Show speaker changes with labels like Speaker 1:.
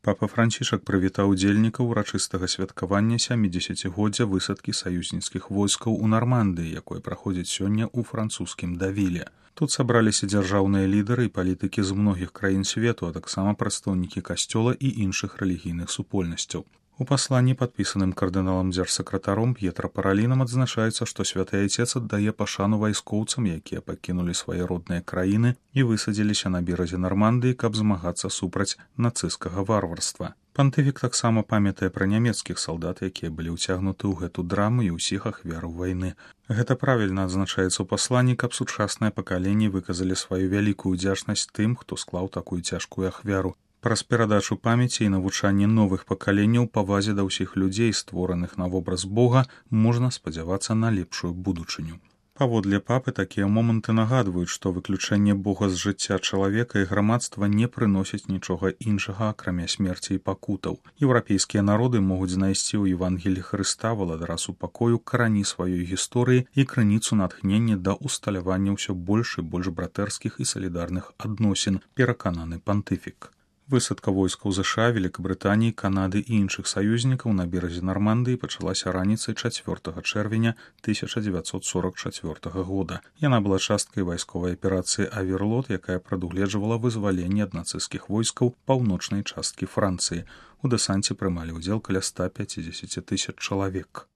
Speaker 1: Папа Францішак прывітаў удзельнікаў урачыстага святкавання 70-годдзя высадкі саюзніцкіх войскаў у Нармандыі, якое праходзіць сёння ў французскім Давіле. Тут сабраліся дзяржаўныя лідары і палітыкі з многіх краін свету, а таксама прадстаўнікі касцёла і іншых рэлігійных супольнасцяў. У пасланні, падпісаным кардыналам дзяржсакратаром П'етра Паралінам, адзначаецца, што святы айцец аддае пашану вайскоўцам, якія пакінулі свае родныя краіны і высадзіліся на беразе Нармандыі, каб змагацца супраць нацысцкага варварства. Пантыфік таксама памятае пра нямецкіх салдат, якія былі ўцягнуты ў гэту драму і ўсіх ахвяраў вайны. Гэта правільна адзначаецца ў пасланні, каб сучаснае пакаленне выказалі сваю вялікую ўдзячнасць тым, хто склаў такую цяжкую ахвяру. Праз перадачу памяці і навучанне новых пакаленняў павазе да ўсіх людзей, створаных на вобраз Бога, можна спадзявацца на лепшую будучыню. Паводле папы, такія моманты нагадваюць, што выключэнне Бога з жыцця чалавека і грамадства не прыносіць нічога іншага, акрамя смерці і пакутаў. Еўрапейскія народы могуць знайсці ў Евангеліі Хрыста, валадара супакою, карані сваёй гісторыі і крыніцу натхнення да ўсталявання ўсё больш і больш братэрскіх і салідарных адносін, перакананы пантыфік. Высадка войскаў ЗША, Великабрытаніі, Канады і іншых саюзнікаў на беразе Нармандыі пачалася раніцай 4 чэрвеня 1944 года. Яна была часткай вайсковай аперацыі «Аверлот», якая прадугледжвала вызваленне ад нацысцкіх войскаў паўночнай часткі Францыі. У дэсанце прымалі ўдзел каля 150 000 чалавек.